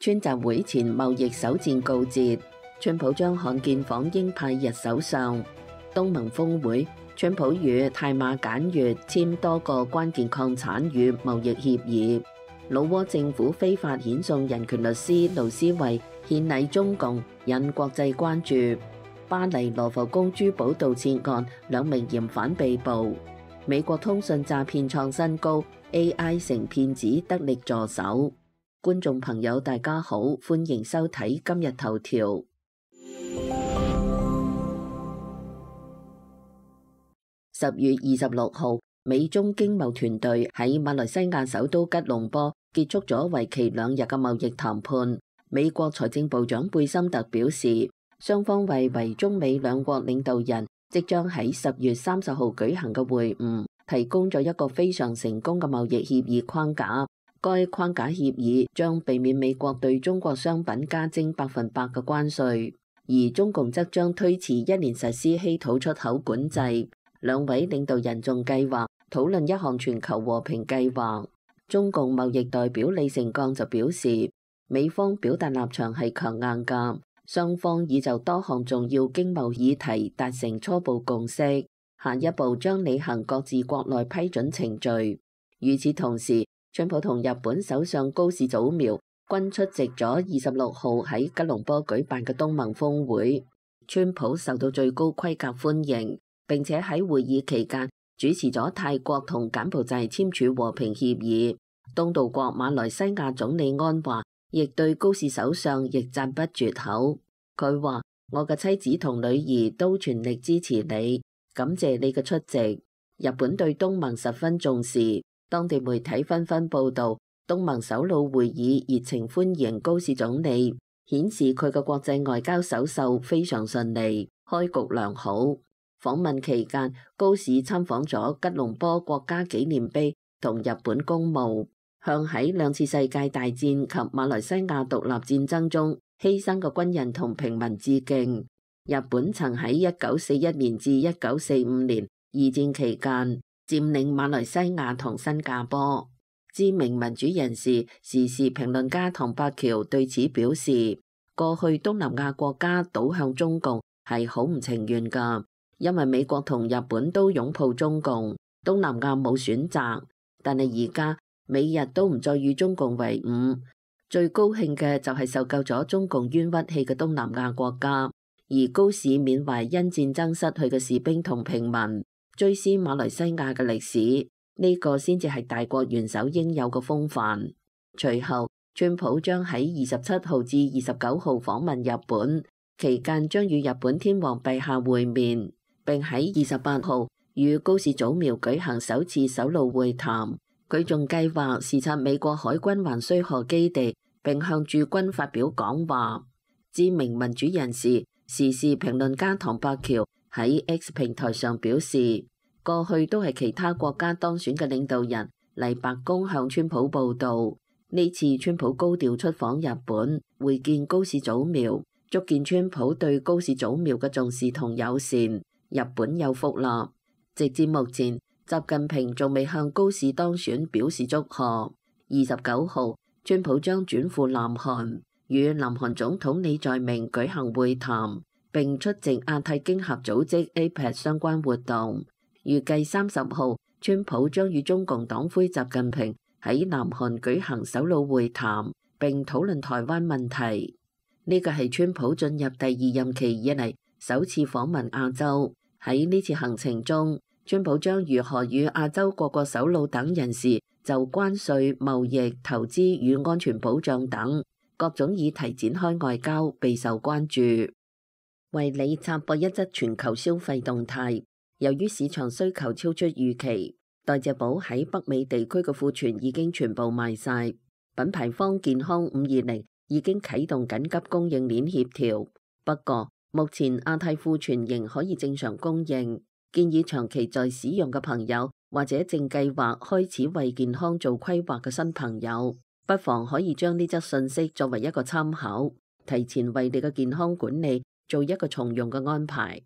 川習會前貿易首戰告捷，川普將罕見訪英派日首相。東盟峰會，川普與泰馬簡越簽多個關鍵礦產與貿易協議。老撾政府非法遣送人權律師盧思位獻禮中共，引國際關注。巴黎羅浮宮珠寶盜竊案，2名嫌犯被捕。美國通訊詐騙創新高，AI 成騙子得力助手。觀眾朋友大家好，歡迎收睇今日頭條。10月26號，美中經貿團隊喺馬來西亞首都吉隆坡結束咗為期2日嘅貿易談判。美國財政部長貝森特表示，雙方為中美兩國領導人即將喺10月30號舉行嘅會晤提供咗一個非常成功嘅貿易協議框架。該框架協議將避免美國對中國商品加徵100%嘅關稅，而中共則將推遲1年實施稀土出口管制。兩位領導人仲計劃討論一項全球和平計劃。中共貿易代表李成鋼就表示，美方表達立場係強硬㗎，雙方已就多項重要經貿議題達成初步共識，下一步將履行各自國內批准程序。與此同時，川普同日本首相高市早苗均出席咗26號喺吉隆坡舉辦嘅東盟峰會。川普受到最高規格歡迎，並且喺會議期間主持咗泰國同柬埔寨簽署和平協議。東道國馬來西亞總理安華亦對高市首相亦讚不絕口。佢話：我嘅妻子同女兒都全力支持你，感謝你嘅出席。日本對東盟十分重視，當地媒體紛紛報導，東盟首腦會議熱情歡迎高市總理，顯示佢嘅國際外交首秀非常順利，開局良好。訪問期間，高市參訪咗吉隆坡國家紀念碑同日本公墓，向喺2次世界大戰及馬來西亞獨立戰爭中犧牲嘅軍人同平民致敬。日本曾喺1941年至1945年二戰期間佔領馬來西亞同新加坡。知名民主人士、時事評論家唐伯橋對此表示，過去東南亞國家倒向中共係好唔情願㗎，因為美國同日本都擁抱中共，東南亞冇選擇。但係而家美日都唔再與中共為伍，最高興嘅就係受夠咗中共冤屈氣嘅東南亞國家。而高市緬懷因戰爭失去嘅士兵同平民，追思馬來西亞嘅歷史，呢個先至係大國元首應有嘅風範。隨後，川普將喺27號至29號訪問日本，期間將與日本天皇陛下會面，並喺28號與高市早苗舉行首次首腦會談。佢仲計劃視察美國海軍橫須賀基地，並向駐軍發表講話。知名民主人士、時事評論家唐伯橋喺 X 平台上表示，過去都係其他國家當選嘅領導人嚟白宮向川普報道，呢次川普高調出訪日本，會見高市早苗，足見川普對高市早苗嘅重視同友善。日本有福啦！直至目前，習近平仲未向高市當選表示祝賀。29號，川普將轉赴南韓，與南韓總統李在明舉行會談，並出席亞太經合組織 APEC 相關活動。預計30號，川普將與中共黨魁習近平喺南韓舉行首腦會談，並討論台灣問題。呢個係川普進入第2任期以嚟首次訪問亞洲。喺呢次行程中，川普將如何與亞洲各國首腦等人士就關稅、貿易、投資與安全保障等各種議題展開外交，備受關注。為你插播一則全球消費動態。由於市場需求超出預期，代謝寶喺北美地區嘅庫存已經全部賣晒。品牌方健康520已經啟動緊急供應鏈協調，不過目前亞太庫存仍可以正常供應。建議長期在使用嘅朋友，或者正計劃開始為健康做規劃嘅新朋友，不妨可以將呢則信息作為一個參考，提前為你嘅健康管理做一個從容嘅安排。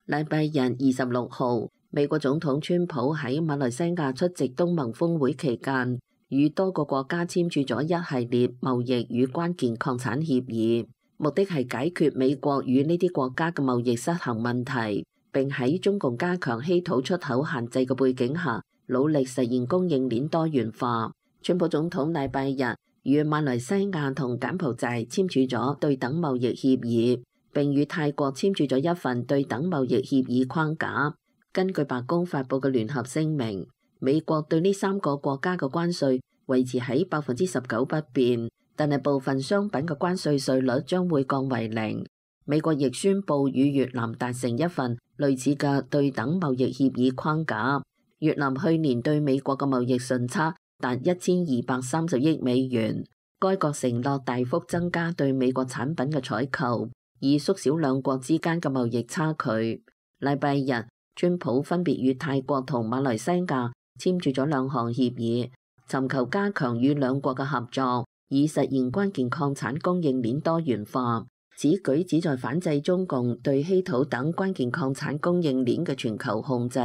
禮拜日26號，美國總統川普喺馬來西亞出席東盟峰會期間，與多個國家簽署咗一系列貿易與關鍵礦產協議，目的係解決美國與呢啲國家嘅貿易失衡問題，並喺中共加強稀土出口限制嘅背景下，努力實現供應鏈多元化。川普總統禮拜日與馬來西亞同柬埔寨簽署咗對等貿易協議，並與泰國簽署咗一份對等貿易協議框架。根據白宮發布嘅聯合聲明，美國對呢3個國家嘅關稅維持喺19%不變，但係部分商品嘅關稅稅率將會降為0。美國亦宣布與越南達成一份類似嘅對等貿易協議框架。越南去年對美國嘅貿易順差達1230億美元，該國承諾大幅增加對美國產品嘅採購，以縮小兩國之間嘅貿易差距。禮拜日，川普分別與泰國同馬來西亞簽署咗2項協議，尋求加強與兩國嘅合作，以實現關鍵礦產供應鏈多元化。此舉旨在反制中共對稀土等關鍵礦產供應鏈嘅全球控制。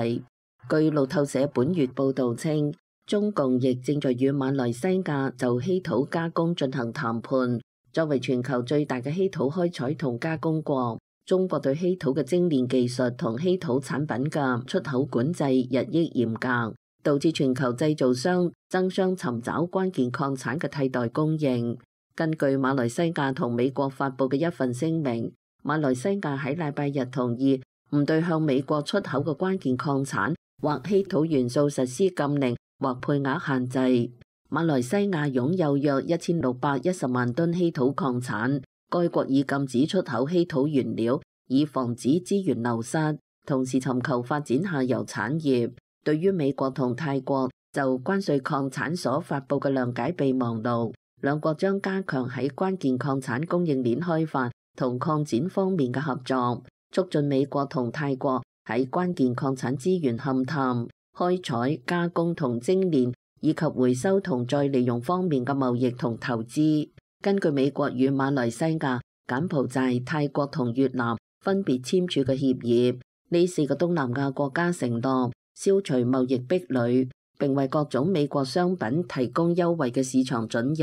據路透社本月報導稱，中共亦正在與馬來西亞就稀土加工進行談判。作為全球最大嘅稀土開採同加工國，中國對稀土嘅精煉技術同稀土產品嘅出口管制日益嚴格，導致全球製造商爭相尋找關鍵礦產嘅替代供應。根據馬來西亞同美國發布嘅一份聲明，馬來西亞喺禮拜日同意唔對向美國出口嘅關鍵礦產或稀土元素實施禁令或配額限制。馬來西亞擁有約1610萬噸稀土礦產。該國已禁止出口稀土原料，以防止資源流失，同時尋求發展下游產業。對於美國同泰國就關稅礦產所發布嘅諒解備忘錄，兩國將加強喺關鍵礦產供應鏈開發同擴展方面嘅合作，促進美國同泰國喺關鍵礦產資源勘探、開採、加工同精煉，以及回收同再利用方面嘅貿易同投資。根據美國與馬來西亞、柬埔寨、泰國同越南分別簽署嘅協議，呢4個東南亞國家承諾消除貿易壁壘，並為各種美國商品提供優惠嘅市場准入。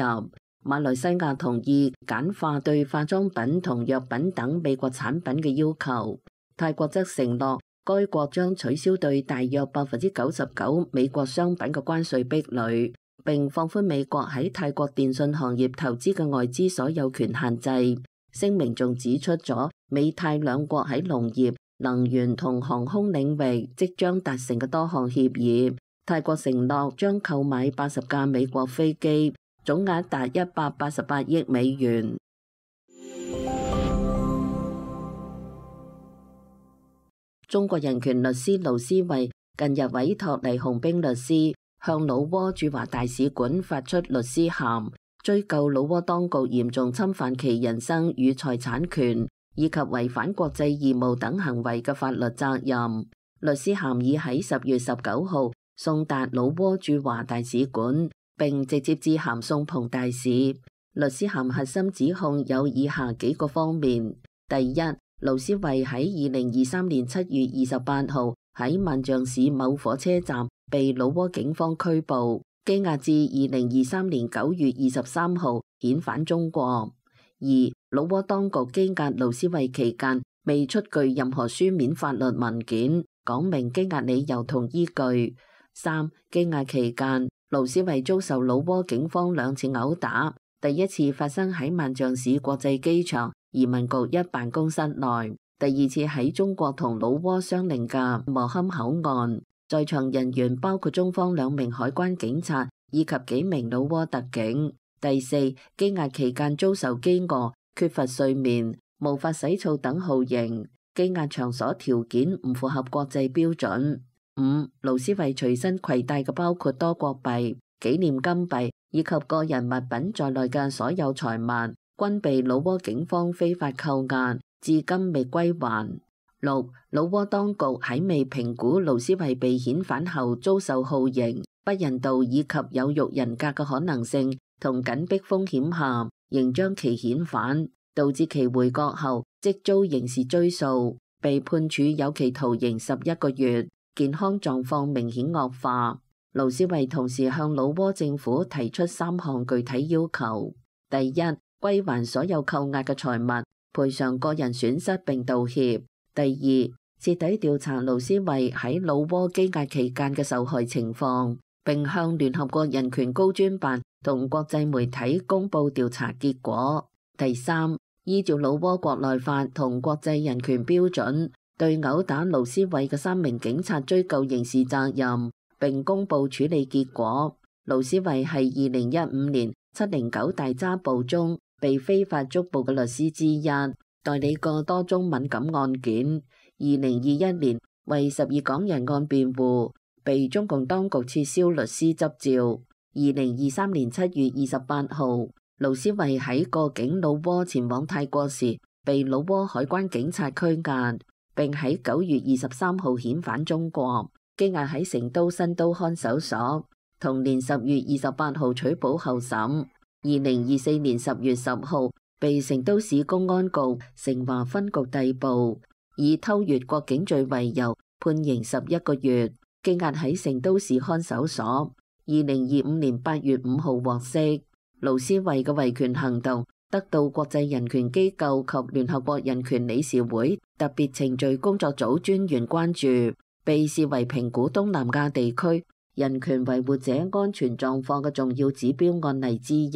馬來西亞同意簡化對化妝品同藥品等美國產品嘅要求。泰國則承諾該國將取消對大約99%美國商品嘅關稅壁壘，並放寬美國喺泰國電信行業投資嘅外資所有權限制。聲明仲指出咗美泰兩國喺農業、能源同航空領域即將達成嘅多項協議。泰國承諾將購買80架美國飛機，總額達188億美元。中國人權律師盧思位近日委託黎紅兵律師向老撾駐華大使館發出律師函，追究老撾當局嚴重侵犯其人身與財產權，以及違反國際義務等行為嘅法律責任。律師函已喺10月19號送達老撾駐華大使館，並直接致函宋鵬大使。律師函核心指控有以下幾個方面：第一，盧思位喺2023年7月28號喺萬象市某火車站被老撾警方拘捕，羈押至2023年9月23號遣返中國。二、老撾當局羈押盧思位期間未出具任何書面法律文件，講明羈押理由同依據。三、羈押期間，盧思位遭受老撾警方2次毆打，第一次發生喺萬象市國際機場移民局一辦公室內，第二次喺中國同老撾相鄰嘅磨坎口岸，在場人員包括中方2名海關警察以及幾名老撾特警。第四，羈押期間遭受飢餓、缺乏睡眠、無法洗澡等酷刑，羈押場所條件唔符合國際標準。五、盧思位隨身攜帶嘅包括多國幣、紀念金幣以及個人物品在內嘅所有財物，均被老撾警方非法扣押，至今未歸還。六、老撾當局喺未評估盧思位被遣返後遭受酷刑、不人道以及有辱人格嘅可能性同緊迫風險下，仍將其遣返，導致其回國後即遭刑事追訴，被判處有期徒刑11個月。健康狀況明顯惡化。盧思維同時向老撾政府提出3項具體要求：第一，歸還所有扣押嘅財物，賠償個人損失並道歉；第二，徹底調查盧思維喺老撾羈押期間嘅受害情況，並向聯合國人權高專辦同國際媒體公佈調查結果；第三，依照老撾國內法同國際人權標準，對毆打盧思維嘅3名警察追究刑事責任，並公佈處理結果。盧思維係2015年709大抓捕中被非法捉捕嘅律師之一，代理過多宗敏感案件。2021年為12港人案辯護，被中共當局撤銷律師執照。2023年7月28號，盧思維喺過境老撾前往泰國時，被老撾海關警察拘押，並喺9月23號遣返中國，羈押喺成都新都看守所。同年10月28號取保候審。2024年10月10號，被成都市公安局成華分局逮捕，以偷越國境罪為由，判刑11個月，羈押喺成都市看守所。2025年8月5號獲釋。盧思維嘅維權行動得到國際人權機構及聯合國人權理事會特別程序工作組專員關注，被視為評估東南亞地區人權維護者安全狀況嘅重要指標案例之一。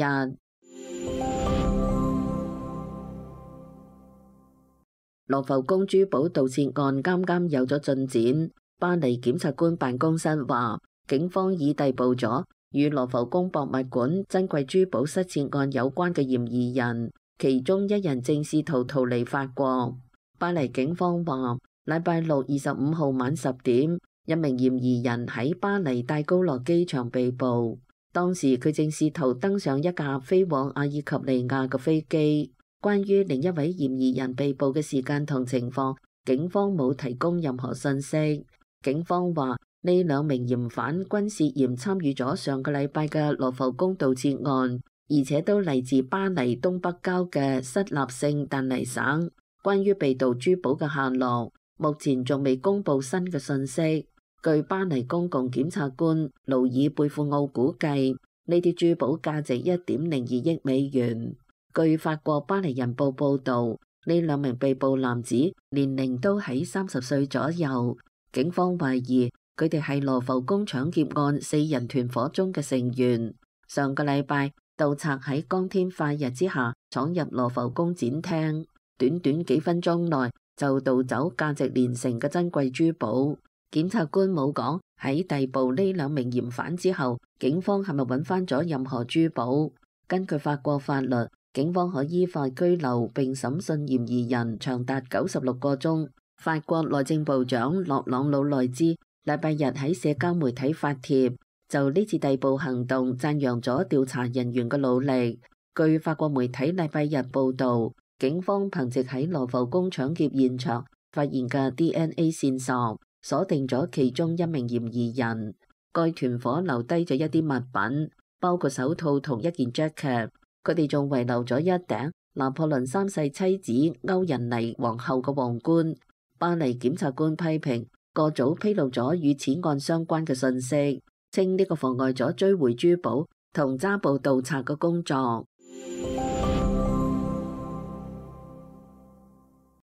羅浮宮珠寶盜竊案啱啱有咗進展，巴黎檢察官辦公室話，警方已逮捕咗與羅浮宮博物館珍貴珠寶失竊案有關嘅嫌疑人，其中1人正試圖逃離法國。巴黎警方話，禮拜六25號晚10點，一名嫌疑人喺巴黎戴高樂機場被捕，當時佢正試圖登上一架飛往阿爾及利亞嘅飛機。關於另一位嫌疑人被捕嘅時間同情況，警方冇提供任何信息。警方話，呢2名嫌犯均涉嫌參與咗上個禮拜嘅羅浮宮盜竊案，而且都嚟自巴黎東北郊嘅塞納聖但尼省。關於被盜珠寶嘅下落，目前仲未公布新嘅信息。據巴黎公共檢察官盧爾貝庫奧估計，呢啲珠寶價值1.02億美元。據法國巴黎人報報導，呢2名被捕男子年齡都喺30歲左右。警方懷疑佢哋係羅浮宮搶劫案4人團伙中嘅成員。上個禮拜，盜賊喺光天化日之下闖入羅浮宮展廳，短短幾分鐘內就盜走價值連城嘅珍貴珠寶。檢察官冇講喺逮捕呢2名嫌犯之後，警方係咪揾翻咗任何珠寶？根據法國法律，警方可依法拘留並審訊嫌疑人長達96個鐘。法國內政部長洛朗魯內茲禮拜日喺社交媒體發帖，就呢次逮捕行動讚揚咗調查人員嘅努力。據法國媒體禮拜日報導，警方憑藉喺羅浮宮搶劫現場發現嘅 DNA 線索，鎖定咗其中1名嫌疑人。該團伙留低咗一啲物品，包括手套同一件 jacket。佢哋仲遺留咗一頂拿破崙3世妻子歐仁妮皇后嘅皇冠。巴黎檢察官批評個組披露咗與此案相關嘅信息，稱呢個妨礙咗追回珠寶同抓捕盜賊嘅工作。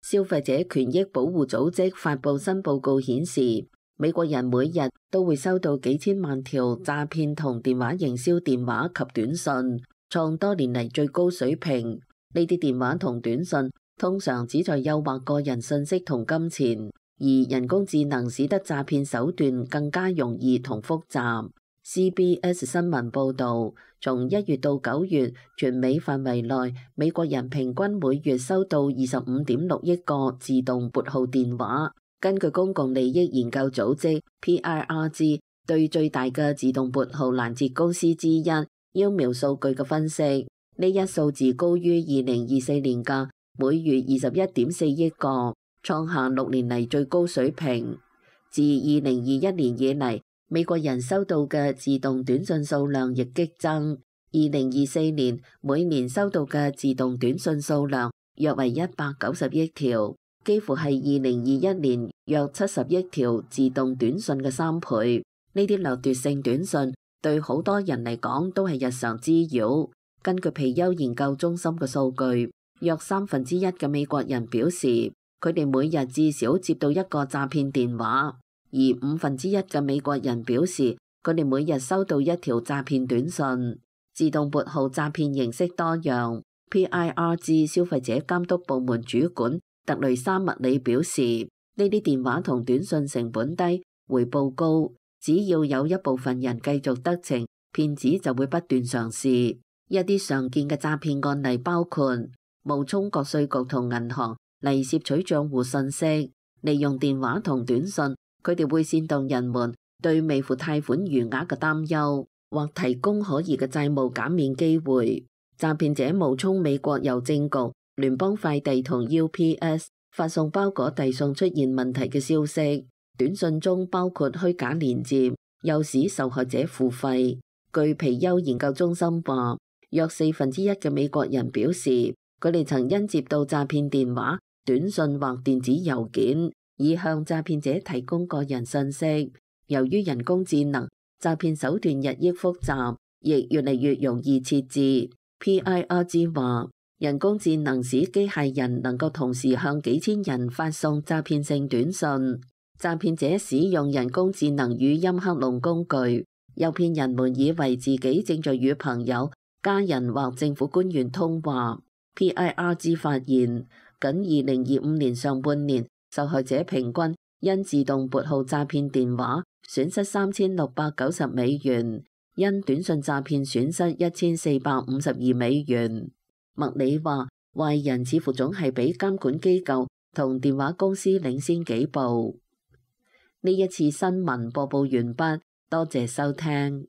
消費者權益保護組織發布新報告顯示，美國人每日都會收到幾千萬條詐騙同電話營銷電話及短信，創多年嚟最高水平。呢啲電話同短信通常旨在誘惑個人信息同金錢，而人工智能使得詐騙手段更加容易同複雜。CBS 新聞報導，從1月到9月，全美範圍內美國人平均每月收到25.6億個自動撥號電話。根據公共利益研究組織 PIRG 對最大嘅自動撥號攔截公司之一邀苗數據嘅分析，呢一數字高於2024年嘅每月21.4億個，創下6年嚟最高水平。自2021年以嚟，美國人收到嘅自動短信數量亦激增。2024年每年收到嘅自動短信數量約為190億條，幾乎係2021年約70億條自動短訊嘅3倍。呢啲掠奪性短訊對好多人嚟講都係日常滋擾。根據皮尤研究中心嘅數據，約1/3嘅美國人表示佢哋每日至少接到一個詐騙電話，而1/5嘅美國人表示佢哋每日收到一條詐騙短訊。自動撥號詐騙形式多樣。PIRG 消費者監督部門主管特雷莎麥里表示，呢啲電話同短訊成本低，回報高，只要有一部分人繼續得逞，騙子就會不斷嘗試。一啲常見嘅詐騙案例包括冒充國稅局同銀行嚟竊取帳戶信息，利用電話同短訊，佢哋會煽動人們對未付貸款餘額嘅擔憂，或提供可疑嘅債務減免機會。詐騙者冒充美國郵政局、聯邦快遞同 UPS 發送包裹遞送出現問題嘅消息。短訊中包括虛假連接，誘使受害者付費。據皮尤研究中心話，約1/4嘅美國人表示，佢哋曾因接到詐騙電話、短訊或電子郵件，以向詐騙者提供個人信息。由於人工智能，詐騙手段日益複雜，亦越嚟越容易設置。PIRG 話，人工智能使機械人能夠同時向幾千人發送詐騙性短訊。詐騙者使用人工智能語音克隆工具，誘騙人們以為自己正在與朋友、家人或政府官員通話。PIRG 發現，僅2025年上半年，受害者平均因自動撥號詐騙電話損失3690美元，因短訊詐騙損失1452美元。麥里話，壞人似乎總係比監管機構同電話公司領先幾步。呢一次新聞播報完畢，多謝收聽。